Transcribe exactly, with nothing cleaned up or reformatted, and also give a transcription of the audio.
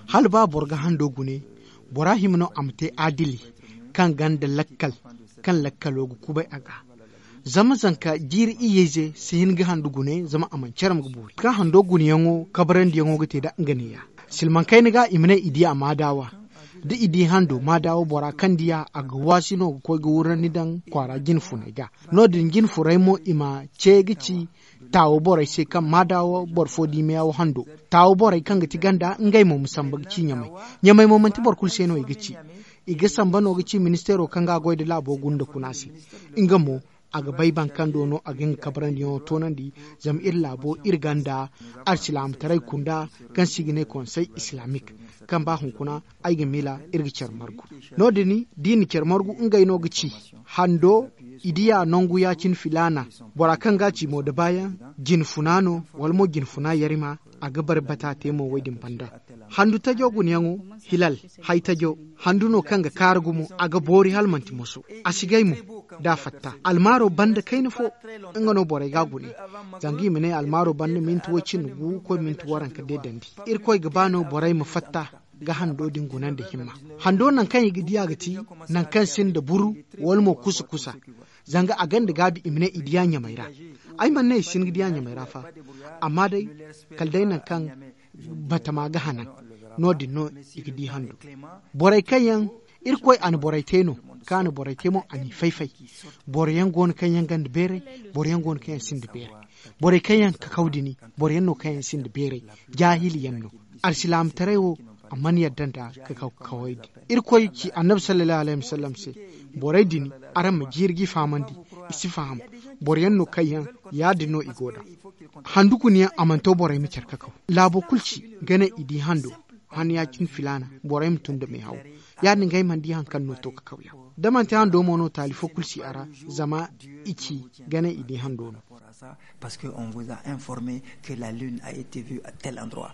Hala ba boro ga hando gune, bora hima no a ma te adili, kaŋ ganda lakkal, kaŋ lakkalo ga kubay a ga. Zama zanka jiiri iyye ize si hin ga handu gune zama a mana care ma ga boori kaŋ hando guneyaŋo kabarandiyaŋo ga te nda nga neeya. Silmaŋ kayna ga i ma ne i di a maadawa, da i di hando maadawa bora kaŋ diya a ga waasi no ga koy ga wurandi daŋ kwaara jine funay ga. No- din jine furay mo i ma ce ga ci taawo borey se kaŋ maadawa boro fo di meyawo hando. Taawo borey kaŋ ga ti ganda ngey mo ma samba ga ci ɲamay. Ɲamay mo manti boro kulu se no i ga ci. I ga samba no ga ci ministeero kaŋ ga a goy nda laabo gunda kuna se. Nga mo a ga bay bankando no a ga nga kabarandiyaŋo toonandi. Zama iri laabo iri ganda alsilaamataray kunda kaŋ se i ga ne konsey islaamik, kaŋ ba hunkuna ay ga miila iri ga care margu. No- din da i na care margu ngey no ga ci hando, i diya nangu ya- cine filaana, bora kaŋ ga a ci mo da baayaŋ, jine funa no wala mo jine funa yarima. A ga bare bata te mo wo- din banda. Handu tajo gunayaŋo, hilal, hay tajo, handu no kaŋ ga kaara gumo. A ga boori hala manti moso. A si gay mo da a fatta almaaro banda kayna fo. Nga no borey ga a gune. Zanga i ma ne almaaro banda minti wo- cindi gu koy minti waranka deedandi. Irkoy ga ba no borey ma fatta ga hando din guna nda himma. Hando nangu kaŋ i ga diya ga ti nangu kaŋ sinda buru, wala mo kusa kusa. Zanga a gonda gaabi i ma ne i diya ɲamay ra. Ay mana ne i si hin ga diya ɲamay ra fa. Amma day, kala day nangu kaŋ batama ga hanan, no- din no i ga di hando. Borey kaŋ yaŋ irkoy a na borey te no, kaŋ a na borey te mo a n'i fay fay. Boro yaŋ go no kaŋ yaŋ gonda beeray, boro yaŋ go no kaŋ yaŋ sinda beeray. Borey kaŋ yaŋ kakaw dini, boro yaŋ no kaŋ yaŋ sinda beeray. Jaahili yaŋ no. Alsilaamataray wo, a mana yadda nda kakaw kaway din. Irkoy ci annabi sallallahu alayhi wasallam se, borey din, araŋ ma jiiri g'i fahamandi. I si faham. Boro yaŋ no kaŋ yaŋ ya- din no i go nd'a. Handu kuna yaŋ a mana to borey ma care kakaw. Laabo kulu ci, ga ne i di hando, han ya- cine filaana, borey ma tun nda meehaw. Ya- din ga ay mana di hari kaŋ no to kakaw yaŋ. Da manti hando mo no taali fo kulu si a ra. Zama i ci ga ne i di hando no. Parce que on vous a informé que la lune a été vue à tel endroit.